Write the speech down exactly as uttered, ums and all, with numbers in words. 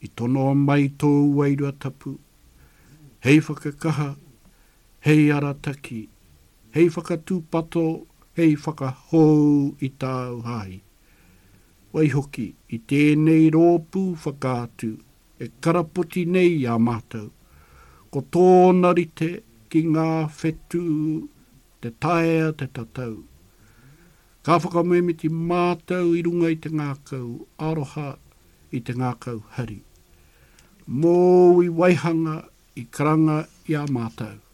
I tonoa mai tōu Wairua Tapu, hei whakakaha, hei arataki, hei whakatūpato, hei whakahou i tāu Hāhi. Waihoki, i tēnei rōpū whakaatu e karapoti nei i a mātou, ko tōna rite ki ngā whetū te taea te tatau. Ka whakamoemiti mātou i runga i te ngākau aroha, i te ngākau hari. Mōu i waihanga, i karanga i a mātou.